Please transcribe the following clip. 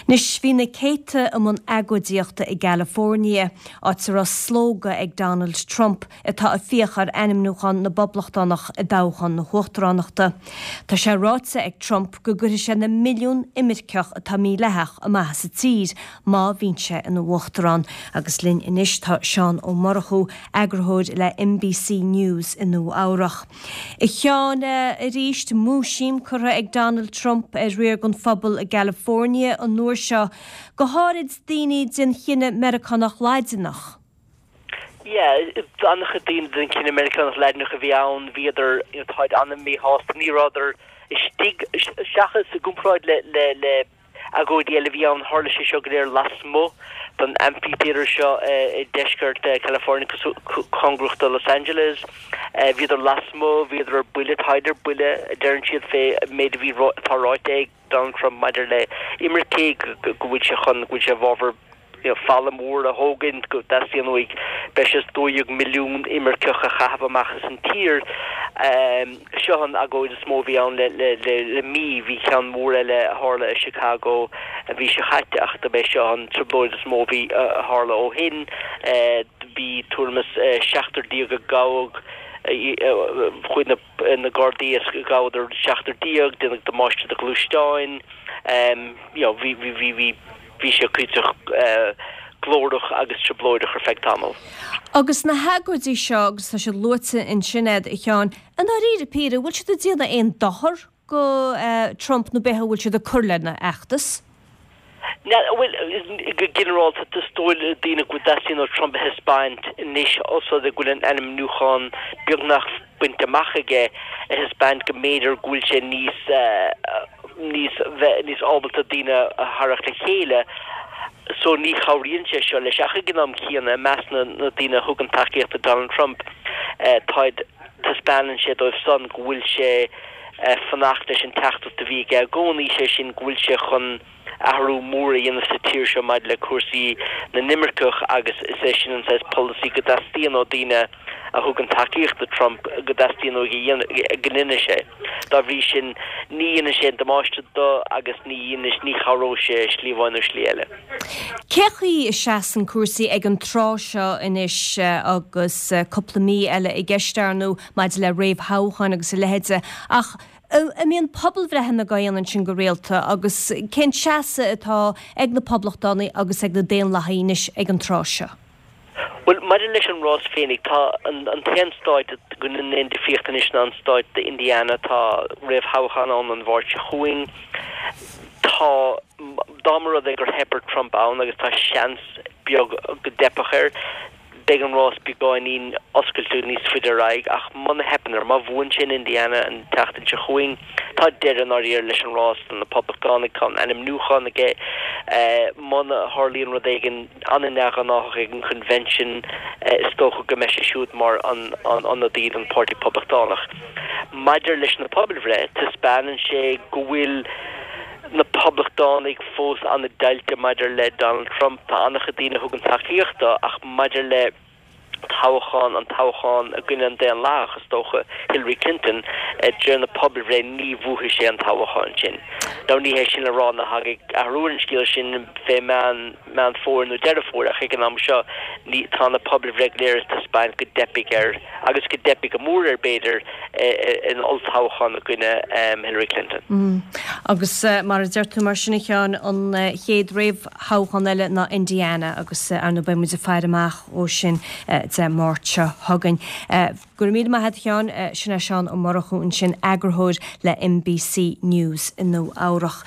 Anois, bhí na céadta i mbun agóidíochta i gCalifornia, áit a raibh slógadh ag Donald Trump, atá ag fiach ar ainmniúchán na bPoblachtánach i dtoghchán na huachtaránachta. Tá sé ráite ag Trump go gcuirfidh sé na milliúin imirceach atá mídhleathach amach as an tír má bhíonn sé ina uachtarán. Agus linn anois tá Seán Ó Murchú, eagarthóir le NBC News i Nua Eabhrach. A Sheáin, arís, múisiam curtha ag Donald Trump ar riar den phobal i gCalifornia an uair seo, go háirid daoine den chine Meiriceánach Laidineach. Yeah, an-chuid daoine den chine Meiriceánach Laidineach a bhí ann, bhíodar, you know, táid an-mhíshásta, ní rabhadar istigh, seachas i gcomparáid le, le, le, Agóidí eile a bhí ann, tharla sé seo go léir lasmuigh den amphitheatre seo i deisceart California, cóngarach do Los Angeles. Bhíodar lasmuigh, bhíodar ar buile, táid ar buile, a deireann siad, fé méid a bhí, atá ráite ag Donald Trump maidir le imircigh, go bhfuil sé chun, go bhfuil sé i bhfabhar falla mór a thógaint, go dteastaíonn uaidh breis is 12 milliún imirceach a chaitheamh amach as an tír. Seo an agóid is mó a bhí ann le mí. Bhí ceann mór eile a tharla i Chicago an mhí seo chaite ach dob é seo an trioblóid is mó a bhí a tharla ó shin. Bhí tuairim is 17 a gabhadh, chuaigh na Gardaí is ghabhadar 17, déanadh damáiste do ghluaisteáin. You know, bhí, bhí, bhí, bhí. Bhí sé cuíosach glórach agus trioblóideach ar feadh tamaill. Agus na hagóidí seo, agus tá siad luaite ansin a'd, a Sheáin, i ndáiríre píre, bhfuil siad ag déanamh aon dochar go Trump nó b'fhéidir bhfuil siad ag cur lena fheachtas? Bhuel, go ginearálta, is dóigh le daoine go dteastaíonn ó Trump a thaispeáint anois, os rud é go bhfuil an ainmniúchán beagnach bainte amach aige, a thaispeáint go mb'fhéidir go bhfuil sé níos níos bheith níos ábalta daoine a tharrac le chéile so ní chabhraíonn sé seo leis ach ag an am céanna i measc na na daoine a thugann tacaíocht do Donald Trump táid taispeánann sé dóibh san go bhfuil sé fanacht leis an teachtaireacht a bhí aige i gcónaí, sé sin go bhfuil sé chun athrú mór a dhéanamh sa tír seo maidir le cúrsaí na n-imirceach agus is é sin an saghas polasaí go dteastaíonn ó daoine a thugann tacaíocht do Trump go dteastaíonn uaidh a dhéanamh, go ndéanfaidh sé. Dá bhrí sin, ní dhéanfaidh sé aon damáiste do agus ní dhéanfaidh, ní chabhróidh sé slí amháin nó slí eile. Cé chaoi a seasann cúrsaí ag an tráth seo anois agus cúpla mí eile i gceist, ar ndóigh, maidir le réamhthoghcháin agus a leithéide, ach an mbíonn pobalbhreitheanna á ndéanamh ansin go rialta agus cén seasamh atá ag na Poblachtánaigh agus ag na Daonlathaigh anois ag an tráth seo? Bhuel, maidir leis an rás féinig, tá an t-aon stáit go ndéanann aon difríocht anois ná an stáit Indiana. Tá réamhthoghchán ann an Mháirt seo chugainn. Tá, dá mba rud é gur theip ar Trump ann, agus tá seans beag go dteipfeadh air, beidh an rás beagáinín oscailte níos faide ar aghaidh. Ach muna theipeann air, má bhuann sé in Indiana an tseachtain seo chugainn, tá deireadh i ndáiríre leis an rás do na Poblachtánaigh. Tá an ainmniúchán aige. Muna tharlaíonn rud éigin, an-neamhghnáthach ag an Convention, is dócha go mbeidh sé siúd mar an ionadaí don Pháirtí Poblachtánach. Maidir leis na pobalbhreith, taispeánann sé go bhfuil na Poblachtánaigh fós an-deighilte maidir le Donald Trump. Tá an-chuid daoine a thugann tacaíocht dó ach maidir le toghchán, an toghchán i gcoinne an Daonlathach, is dócha, Hillary Clinton, de réir na pobalbhreith ní bhuafaidh sé an toghchán sin. Now ní hé sin le rá nach dtagaidh athrú ar an scéal sin fé Meán Meán Fómhair nó Deireadh Fómhair ach ag an am seo ní, tá na pobalbhreith go léir ag taispeáint go dteipfidh air agus go dteipfidh go mór air b'fhéidir in olltoghchán i gcoinne Hillary Clinton. Agus mar a deir tú mar sin a Sheáin, an chéad réamhthoghchán eile ná Indiana agus ar ndóigh beidh muid ag faire amach ó sin Dé Máirt seo chugainn. Go raibh míle maith a't a Sheáin, sin é Seán Ó Murchú ansin, eagarthóir le NBC News i Nua Eabhrach.